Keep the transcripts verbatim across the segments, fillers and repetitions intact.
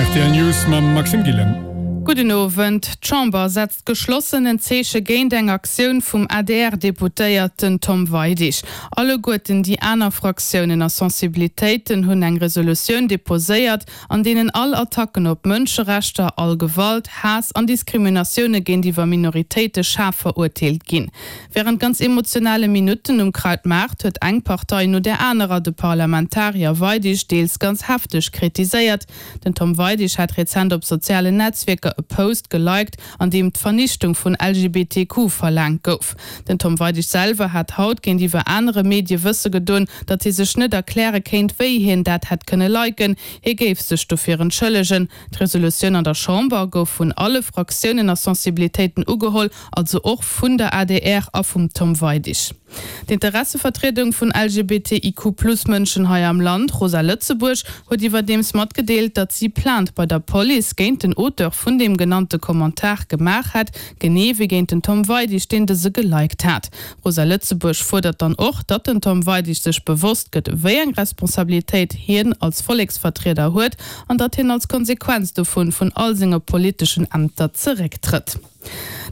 Rtl News mam Maxime Gillen. Gudden Owend. D'Chamber setzt geschlossen en Zeeche géint eng Aktioun vum A D R-Deputéierten Tom Weidig. Alleguerten déi aner Fraktiounen a Sensibilitéiten hunn eng Resolutioun deposéiert, an deenen all Attacken op Mënscherechter, all Gewalt, Haass an Diskriminatioune géintiwwer Minoritéite schaarf verurteelt ginn. Wärend ganz emotionale Minutten um Krautmaart huet eng Partei no där anerer de Parlamentarier Weidig deels ganz hefteg kritiséiert. Den Tom Weidig hat rezent op sozialen Netzwierker e Post geliked, an deem d'Vernichtung vun L G B T Q verlaangt gouf. Den Tom Weidig selwer hat haut géintiwwer anere Medie wësse gedoen, datt hie sech net erkläre kéint, wéi hien dat hätt kënne liken, hie géif sech dofir entschëllegen. D'Resolutioun an der Chamber gouf vun alle Fraktiounen a Sensibilitéiten ugeholl, also och vun der A D R a vum Tom Weidig. D'Interessevertriedung vun L G B T I Q plus Mënschen hei am Land, Rosa Lëtzebuerg, huet iwwerdeems matgedeelt, datt si Plainte bei der Police géint den Auteur vun deem genannte Kommentar gemaach hätt, genee wéi géint den Tom Weidig, deen dëse geliked hat. Rosa Lëtzebuerg fuerdert dann och, datt den Tom Weidig sech bewosst gëtt, wéi eng Responsabilitéit hien als Volleksvertrieder huet an datt hien als Konsequenz dovun vun all senge politeschen Ämter zerécktrëtt.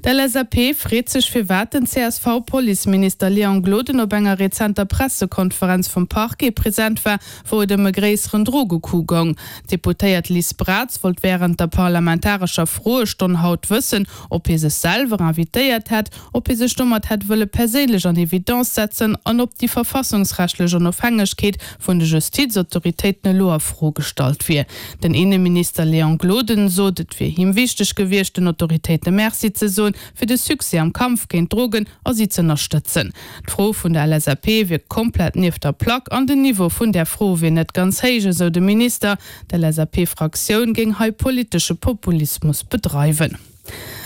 D'L S A P freet sech, firwat den C S V-Policeminister Léon Gloden op enger rezenter Pressekonferenz vum Parquet present war, wou et ëm e gréisseren Drogecoup goung. D'Deputéiert Liz Braz wollt wärend der parlamentarescher Froestonn haut wëssen, ob hie sech selwer invitéiert hätt, ob hie sech domat hätt wëlle perséinlech an Evidence setzen an ob déi verfassungsrechtlech Onofhängegkeet vun de Justizautoritéiten elo a Fro gestallt wier. Den Inneminister Léon Gloden sot, et wier him wichteg gewiescht, den Autoritéite Merci ze soen fir de Succès am Kampf géint Drogen a si z'ënnerstëtzen. D'Fro vun der L S A P wier komplett nieft der Plack an den Niveau vun der Fro wier net ganz héich, esou de Minister. D'L S A P-Fraktioun géing hei politesche Populismus bedreiwen.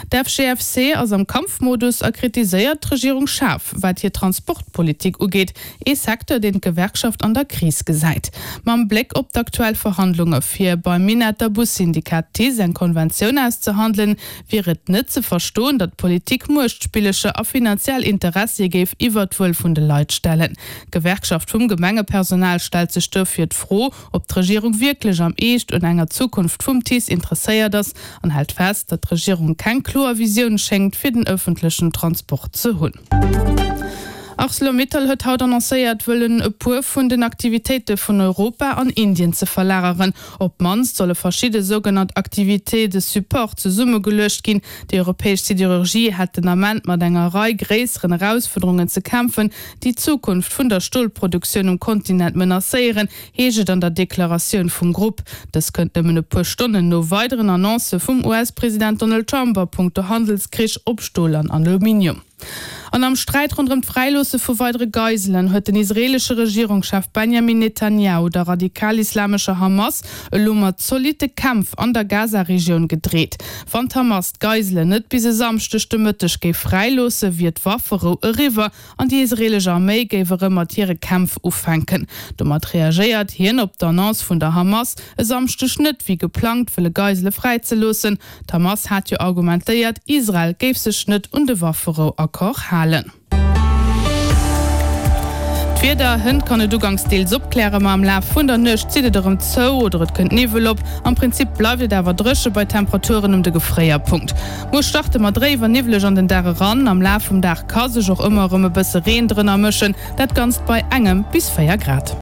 D'F G F C ass am Kampfmodus a kritiséiert d'Regierung schaarf, wat hir Transportpolitik ugeet, ee Secteur, deen d'Gewerkschaft an der Kris gesäit. Mam Bléck op d'aktuell Verhandlunge fir beim Minetter Bussyndikat TICE eng Konventioun auszehandelen, wier et net ze verstoen, datt d'Politik Muechtspillercher a finanziell Interessie géif iwwer d'Wuel vun de Leit stellen. D'Gewerkschaft vum Gemengepersonal stellt sech dofir d'Fro, ob d'Regierung wierklech am Eescht un enger Zukunft vum TICE interesséiert ass an hält fest, datt d'Regierung keng kloer Visioun schéngt fir den ëffentlechen Transport ze hunn. ArcelorMittal huet haut annoncéiert, wëllen e puer vun den Aktivitéite vun Europa an Indien ze verlageren. Op d'mannst solle verschidde sougenannt Activités de support zesummegeluecht ginn. Déi europäesch Siderurgie hätt den Ament mat enger Rei gréisseren Erausfuerderungen ze kämpfen, déi d'Zukunft vun der Stolproduktioun um Kontinent menacéieren, heescht et an der Deklaratioun vum Grupp. Dës kënnt nëmmen e puer Stonnen no weideren Annoncë vum U S-President Donald Trump a punkto Handelskrich op Stol an Aluminium. An am Sträit ronderëm d'Fräiloosse vu weidere Geiselen huet den israeelesche Regierungschef Benjamin Netanyahu der radikal-islamescher Hamas elo mat zolitte Kämpf an der Gaza-Regioun gedreet. Wann d'Hamas d'Geiselen net bis e Samschdeg de Mëtteg géif fräiloossen, wier d'Wafferou eriwwer an déi israeelesch Arméi géif erëm mat hire Kämpf ufänken. Domat reagéiert hien op d'Annonce vun der Hamas, e Samschdeg net wéi geplangt wëlle Geisele fräizeloossen. D'Hamas hat jo argumentéiert, Israel géif sech net un de Wafferou-Accord halen. D'Wieder, Hënt kann et uganks deels opklären, ma am Laf vun der Nuecht zitt et erëm zou oder et kënnt Niwwel op. Am Prinzip bleift et awer dréche bei Temperaturen ëm de Gefréierpunkt. Muer starte mer dréif an niwweleg an den Dag eran. Am Laf vum Dag ka sech och ëmmer erëm e bësse Reen drënner mëschen, dat Ganzt bei engem bis véier Grad.